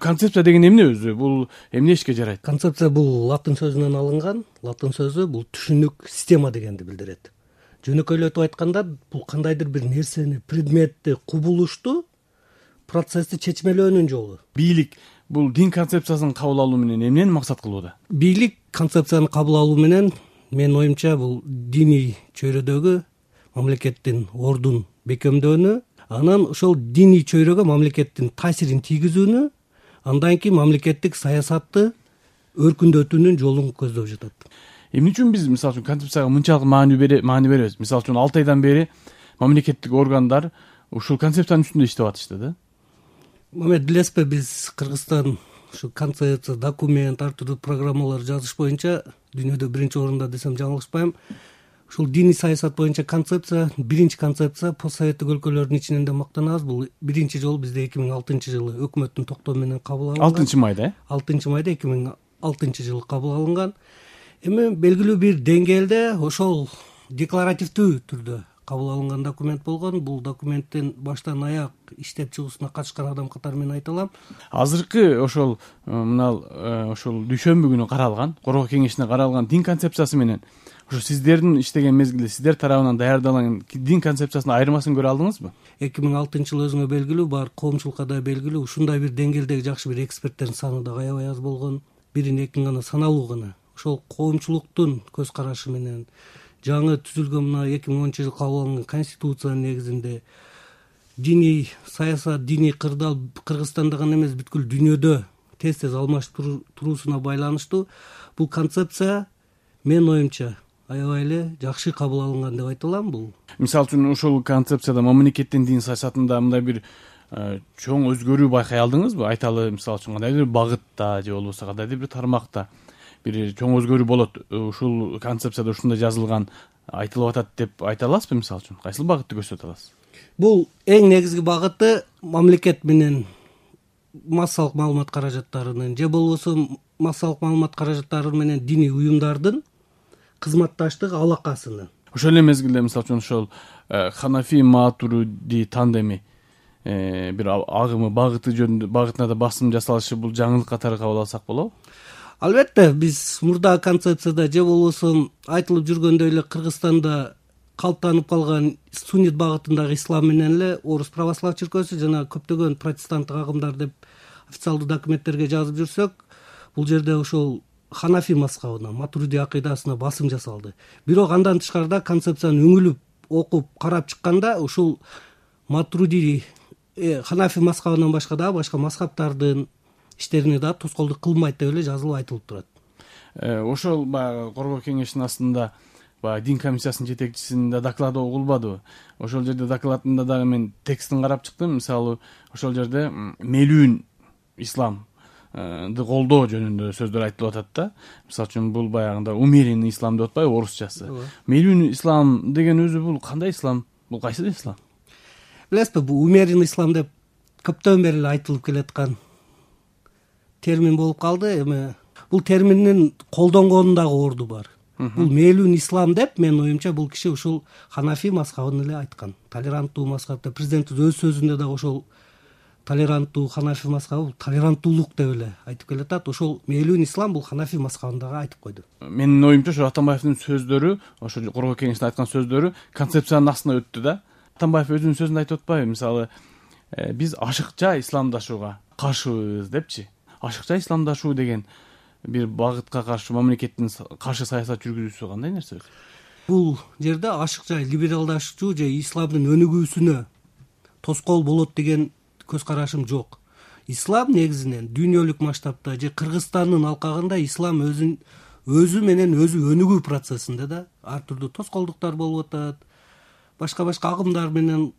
концепция деген эмне өзү? Бул эмне ишке жарайт? Концепция бул латын сөзүнөн алынган. Латын сөзү бул түшүнүк, система дегенди билдирет. Жөнөкөйлөтүп айтканда бул кандайдыр бир нерсени, предметти, кубулушту, процессти чечмелөөнүн жолу. Бийлик бул дин концепциясын кабыл алуу менен эмнени максат кылууда? Бийлик концепцияны кабыл алуу менен менин оюмча бул диний чөйрөдөгү мамлекеттин ордун бекемдөөнү, анан ошол диний чөйрөгө мамлекеттин таасирин тийгизүүнү, андан кийин мамлекеттик саясатты өркүндөтүүнүн жолун көздөп жатат. Эмне үчүн биз мисалы үчүн концепцияга мынчалык маани беребиз? Мисалы үчүн 6 айдан бери мамлекеттик органдар ушул концепциянын үстүндө иштеп атышты да. Мамед, билесизби, биз Кыргызстан ушу концепция, документ, ар түрдүү программалар жазыш боюнча дүйнөдө биринчи орунда десем жаңылышпайм. Ушул диний саясат боюнча концепция, биринчи концепция постсоветтик өлкөлөрдүн ичинен да мактанабыз. Бул биринчи жолу бизде 2006-жылы өкмөттүн токтому менен кабыл алынган. 6-майда, 6-майда 2006-жылы кабыл алынган. Эми белгилүү бир деңгээлде ошол декларативдүү түрдө кабыл алынган документ болгон. Бул документтин баштан аяк иштеп чыгуусуна катышкан адам катары менен айта алам. Азыркы ошол ошол дүйшөмбү күнү каралган, Коргоо кеңешине каралган дин концепциясы менен ошо сиздердин иштеген мезгилде сиздер тарабынан даярдалган дин концепциясынын айырмасын көрө алдыңызбы? 2006-жылы өзүңө белгилүү, бар коомчулукка да белгилүү, ушундай бир деңгээлдеги жакшы бир эксперттердин саны да аябай аз болгон. Бирин экин гана саналуу гана. Ошол коомчулуктун көз карашы менен жаңы түзүлгөн мына 2010-жылы кабыл алынган конституциянын негизинде диний саясат, диний кырдаал Кыргызстанда гана эмес, бүткүл дүйнөдө тез алмашып туруусуна байланыштуу бул концепция менин оюмча аябай эле жакшы кабыл алынган деп айта алам. Бул мисалы үчүн ошол концепцияда мамлекеттин дин саясатында мындай бир чоң өзгөрүү байкай алдыңызбы? Айталы, мисалы үчүн кандайдыр бир багытта же болбосо кандайдыр бир тармакта бир чоң өзгөрүү болот, ушул концепцияда ушундай жазылган айтылып атат деп айта аласызбы? Мисалы үчүн кайсыл багытты көрсөтө аласыз? Бул эң негизги багыты мамлекет менен массалык маалымат каражаттарынын же болбосо массалык маалымат каражаттары менен диний уюмдардын кызматташтык алакасынын. Ошол эле мезгилде мисалы үчүн ошол Ханафи Матуриди тандеми бир агымы багытына да басым жасалышы бул жаңылык катары кабыл алсак болобу? Албетте, биз мурдагы концепцияда же болбосо айтылып жүргөндөй эле Кыргызстанда калыптанып калган суннит багытындагы ислам менен эле орус православ чиркөөсү жана көптөгөн протестанттык агымдар деп официалдуу документтерге жазып жүрсөк, бул жерде ошол Ханафи мазхабына, Матуриди акыйдасына басым жасалды. Бирок андан тышкарыда концепцияны үңүлүп, окуп, карап чыкканда ушул Матуриди, Ханафи мазхабынан башка да башка мазхабтардын иштерине да тоскоолдук кылмайт деп эле жазылып айтылып турат. Ошол баягы Коргоо кеңешинин астында баягы дин комиссиясынын жетекчисинин да доклады угулбадыбы? Ошол жерде докладында дагы мен текстин карап чыктым. Мисалы, ошол жерде мелүүн исламды колдоо жөнүндө сөздөр айтылып атат да. Мисалы үчүн бул баягында умеренный ислам деп атпайбы орусчасы? Мелүүн ислам деген өзү бул кандай ислам? Бул кайсы ислам? Билесизби, бул умеренный ислам деп көптөн бери эле айтылып келаткан термин болуп калды. Эми бул терминдин колдонгонундагы орду бар. Бул мелүүн ислам деп менин оюмча бул киши ушул Ханафи мазхабын эле айткан. Толеранттуу мазхаб деп президент өз сөзүндө дагы ошол толеранттуу Ханафи мазхабы толеранттуулук деп эле айтып келатат. Ошол мелүүн ислам бул Ханафи мазхабындагы айтып койду. Менин оюмча ошо Атамбаевдин сөздөрү, ошо Коргоо кеңешинде айткан сөздөрү концепциянын астына өттү да. Атамбаев өзүнүн сөзүндө айтып атпайбы? Мисалы, биз ашыкча исламдашууга каршыбыз депчи. Ашыкча исламдашуу деген бир багытка каршы мамлекеттин каршы саясат жүргүзүүсү кандай нерсе? Бул жерде ашыкча либералдашуу же исламдын өнүгүүсүнө тоскоол болот деген көз карашым жок. Ислам негизинен дүйнөлүк масштабта же Кыргызстандын алкагында ислам өзү менен өзү өнүгүү процессинде да ар түрдүү тоскоолдуктар болуп атат. Башка агымдар менен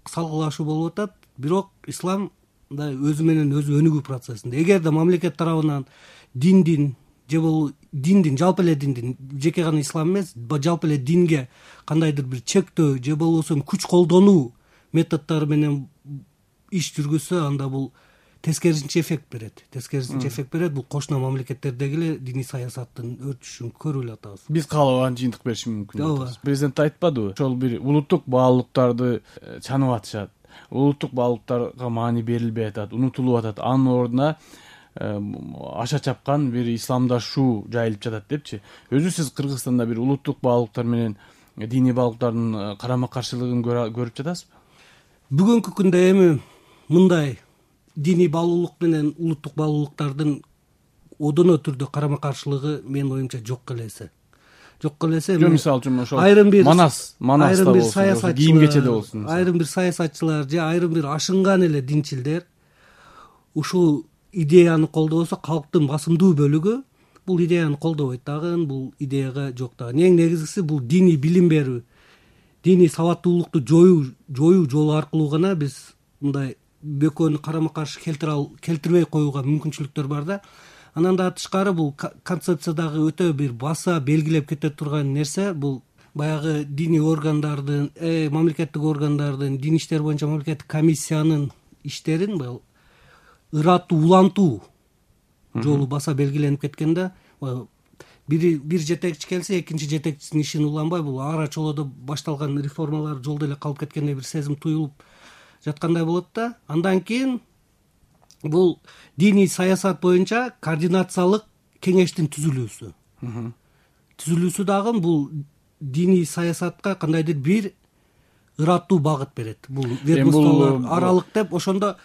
салгылашуу болуп атат. Бирок ислам да өзү менен өзү өнүгүү процессинде. Эгерде мамлекет тарабынан диндин жалпы эле диндин, жеке гана ислам эмес, жалпы эле динге кандайдыр бир чектөө же болбосо күч колдонуу методдору менен иш жүргүзсө, анда бул тескерисинче эффект берет. Бул кошуна мамлекеттердеги эле диний саясаттын өртүшүн көрүп эле атабыз. Биз каалабаган жыйынтык бериши мүмкүн. Президент айтпадыбы? Ошол бир улуттук баалуулуктарды чанып атышат. улуттук баалуулуктарга маани берилбей атат, унутулуп атат. Анын ордуна аша чапкан бир исламдашуу жайылып жатат депчи. Өзү сиз Кыргызстанда бир улуттук баалуулуктар менен диний баалуулуктардын карама каршылыгын көрүп жатасызбы? Бүгүнкү күндө эми мындай диний баалуулук менен улуттук баалуулуктардын одоно түрдө карама каршылыгы менин оюмча жок элесе. Мисалы үчүн ошол айрым бир Манаста болсун, кийим кечеде болсун, айрым бир саясатчылар же айрым бир ашынган эле динчилдер ушул идеяны колдобосо, калктын басымдуу бөлүгү бул идеяны колдобойт дагы, бул идеяга жок дагы. Эң негизгиси бул диний билим берүү, диний сабаттуулукту жоюу жолу аркылуу гана биз мындай бөкөнү карама каршы келтирбей коюуга мүмкүнчүлүктөр бар да. Андан да тышкары бул концепциядагы өтө бир баса белгилеп кете турган нерсе бул баягы диний органдардын, мамлекеттик органдардын, дин иштери боюнча мамлекеттик комиссиянын иштерин бул ырааттуу улантуу жолу баса белгиленип кеткен да. Бир жетекчи келсе, экинчи жетекчисинин ишин уланбай, бул ара чолодо башталган реформалар жолдо эле калып кеткендей бир сезим туюлуп жаткандай болот да. Андан кийин бул диний саясат боюнча координациялык кеңештин түзүлүүсү дагы бул диний саясатка кандайдыр бир ыраттуу багыт берет. Бул ведомстволор аралык деп, ошондо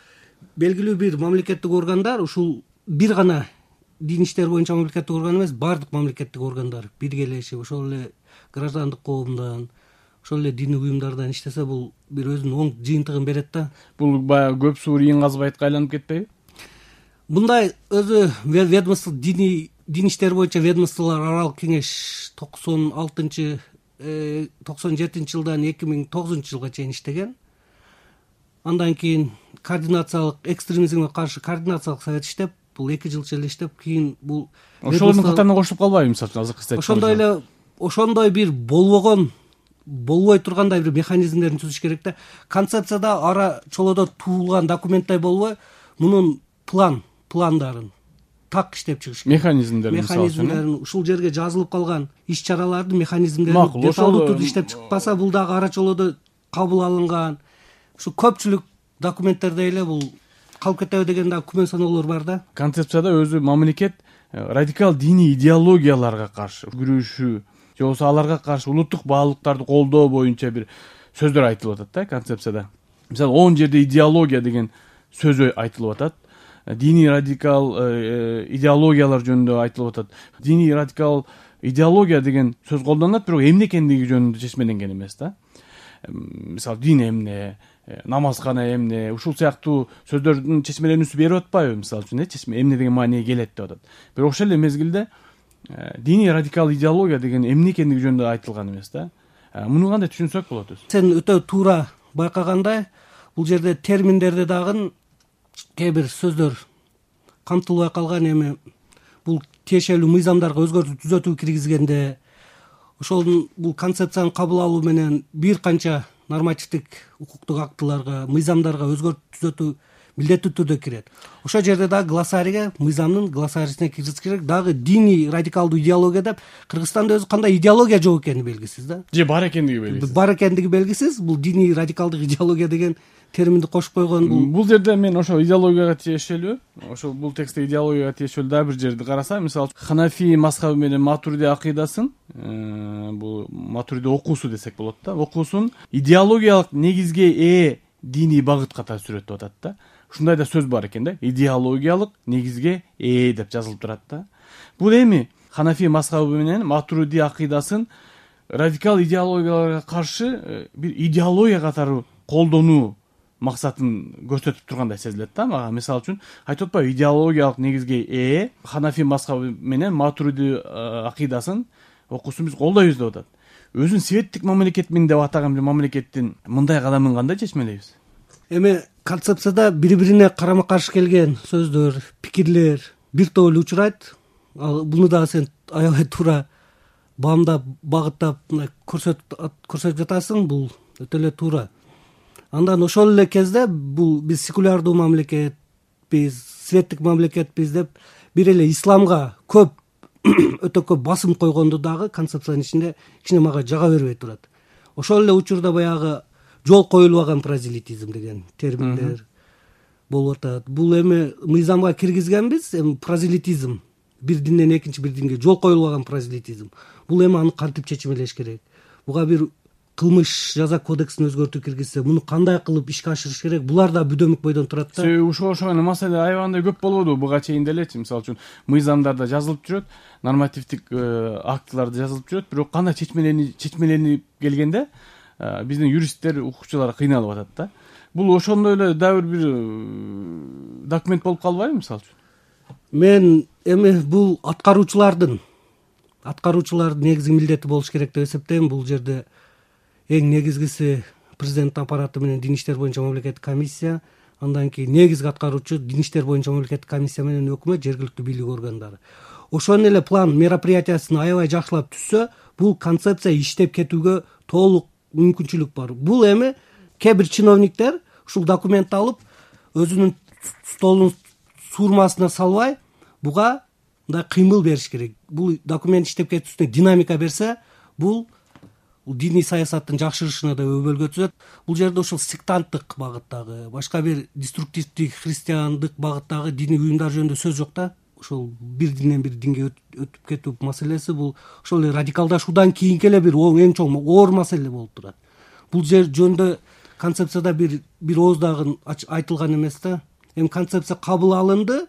белгилүү бир мамлекеттик органдар, ушул бир гана дин иштери боюнча мамлекеттик орган эмес, баардык мамлекеттик органдар биргелешип, ошол эле граждандык коомдон, ошол эле диний уюмдардан иштесе, бул бир өзүнүн оң жыйынтыгын берет да. Бул баягы көп суур ийин казбайтка айланып кетпейби? Мындай өзү ведомство дин иштери боюнча ведомстволор аралык кеңеш 97 жылдан 2009 жылга чейин иштеген. Андан кийин координациялык экстремизмге каршы координациялык совет иштеп, бул 2 жылча эле иштеп, кийин бул ошолордун катарына кошулуп калбайбы мисалы үчүн азыркы статья? Ошондой бир болбой тургандай бир механизмдерин түзүш керек да. Концепцияда ара чолодо туулган документтай болбой, мунун пландарын так иштеп чыгыш керек. Механизмдерин ушул жерге жазылып калган иш-чаралардын механизмдерин деталдуу түрдө иштеп чыкпаса, бул дагы ара чолодо кабыл алынган ушу көпчүлүк документтерде эле бул калып кетеби деген да күмөн саноолор бар да. Концепцияда өзү мамлекет радикал диний идеологияларга каршы күрөшүү же болбосо аларга каршы улуттук баалуулуктарды колдоо боюнча бир сөздөр айтылып атат да концепцияда. Мисалы 10 жерде идеология деген сөз айтылып атат. Диний радикал идеологиялар жөнүндө айтылып атат. Диний радикал идеология деген сөз колдонулат, бирок эмне экендиги жөнүндө чечмеленген эмес да. Мисалы дин эмне, намазкана эмне, ушул сыяктуу сөздөрдүн чечмеленүүсү берип атпайбы мисалы үчүн, эмне деген мааниге келет деп атат. Бирок ошол эле мезгилде диний радикал идеология деген эмне экендиги жөнүндө айтылган эмес да. Муну кандай түшүнсөк болот өзү? Сен өтө туура байкагандай, бул жерде терминдерде дагы кээ бир сөздөр камтылбай калган. Эми бул тиешелүү мыйзамдарга өзгөртүү түзөтүү киргизгенде, ошол бул концепцияны кабыл алуу менен бир канча нормативдик укуктук актыларга, мыйзамдарга өзгөртүү түзөтүү милдеттүү түрдө кирет. Ошол жерде дагы глоссарийге, мыйзамдын глоссарийсине киргизиш керек. Дагы диний радикалдуу идеология деп Кыргызстанда өзү кандай идеология жок экени белгисиз да. Же бар экендиги белгисиз. Бар экендиги белгисиз. Бул диний радикалдык идеология деген терминди кошуп койгон. Бул жерде мен ошо идеологияга тиешелүү, ошол бул текстте идеологияга тиешелүү дагы бир жерди карасам, мисалы Ханафи мазхабы менен Матуриди акыйдасын, бул Матуриди окуусу десек болот да, окуусун идеологиялык негизге ээ диний багыт катары сүрөттөп атат да. Ушундай да сөз бар экен да, идеологиялык негизге ээ деп жазылып турат да. Бул эми Ханафи мазхабы менен Матуриди акыйдасын радикал идеологияларга каршы бир идеология катары колдонуу максатын көрсөтүп тургандай сезилет да мага. Мисалы үчүн айтып атпайбы, идеологиялык негизге ээ Ханафи мазхабы менен Матуриди акыйдасын окуусун биз колдойбуз деп атат. Өзүн светтик мамлекетмин деп атаган бир мамлекеттин мындай кадамын кандай чечмелейбиз? Эми концепцияда бири-бирине карама каршы келген сөздөр, пикирлер бир топ эле учурайт. Буну дагы сен аябай туура баамдап, багыттап көрсөтүп жатасың. Бул өтө эле туура. Андан ошол эле кезде бул биз секулярдуу мамлекетпиз, светтик мамлекетпиз деп бир эле исламга өтө көп басым койгонду дагы концепциянын ичинде кичине мага жага бербей турат. Ошол эле учурда баягы жол коюлбаган прозелитизм деген терминдер болуп атат. Бул эми мыйзамга киргизгенбиз, эми прозелитизм бир динден экинчи бир динге жол коюлбаган прозелитизм. Бул эми аны кантип чечмелеш керек? Буга бир кылмыш жаза кодексин өзгөртүү киргизсе, муну кандай кылып ишке ашырыш керек? Булар да бүдөмүк бойдон турат да. Себеби ушуга окшогон маселе аябагандай көп болбодубу буга чейин делечи. Мисалы үчүн мыйзамдарда жазылып жүрөт, нормативдик актыларда жазылып жүрөт, бирок кандай чечмеленип келгенде биздин юристтер, укукчулар кыйналып атат да. Бул ошондой эле дагы бир документ болуп калбайбы мисалы үчүн? Мен эми бул аткаруучулардын негизги милдети болуш керек деп эсептейм. Бул жерде эң негизгиси президент аппараты менен Дин иштер боюнча мамлекеттик комиссия, андан кийин негизги аткаруучу Дин иштер боюнча мамлекеттик комиссия менен өкмөт, жергиликтүү бийлик органдары. Ошонун эле план мероприятиясын аябай жакшылап түзсө, бул концепция иштеп кетүүгө толук мүмкүнчүлүк бар. Бул эми кээ бир чиновниктер ушул документти алып өзүнүн столунун суурмасына салбай, буга мындай кыймыл бериш керек. Бул документ иштеп кетүүсүнө динамика берсе, бул диний саясаттын жакшырышына да өбөлгө түзөт. Бул жерде ушул сектанттык багыттагы, башка бир деструктивдик христиандык багыттагы диний уюмдар жөнүндө сөз жок да. Ошол бир динден бир динге өтүп кетүү маселеси бул ошол эле радикалдашуудан кийинки эле бир эң чоң оор маселе болуп турат. Бул жер жөнүндө концепцияда бир ооз дагы айтылган эмес да. Эми концепция кабыл алынды,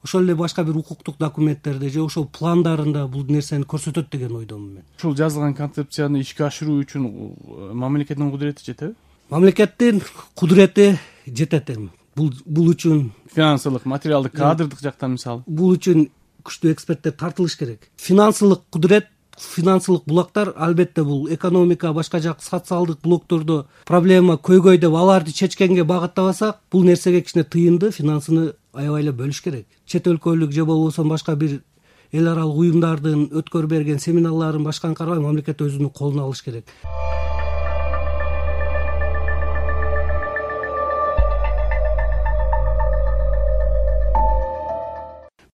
ошол эле башка бир укуктук документтерде же ошол пландарында бул нерсени көрсөтөт деген ойдомун мен. Ушул жазылган концепцияны ишке ашыруу үчүн мамлекеттин кудурети жетеби? Мамлекеттин кудурети жетет эми. Бул үчүн финансылык, материалдык, кадрдык жактан мисалы. Бул үчүн күчтүү эксперттер тартылыш керек. Финансылык кудурет, финансылык булактар албетте бул экономика, башка жак социалдык блоктордо проблема көйгөй деп аларды чечкенге багыттабасак, бул нерсеге кичине тыйынды, финансыны аябай эле бөлүш керек. Чет өлкөлүк же болбосо башка бир эл аралык уюмдардын өткөрүп берген семинарларын башканы карабай мамлекет өзүнүн колуна алыш керек.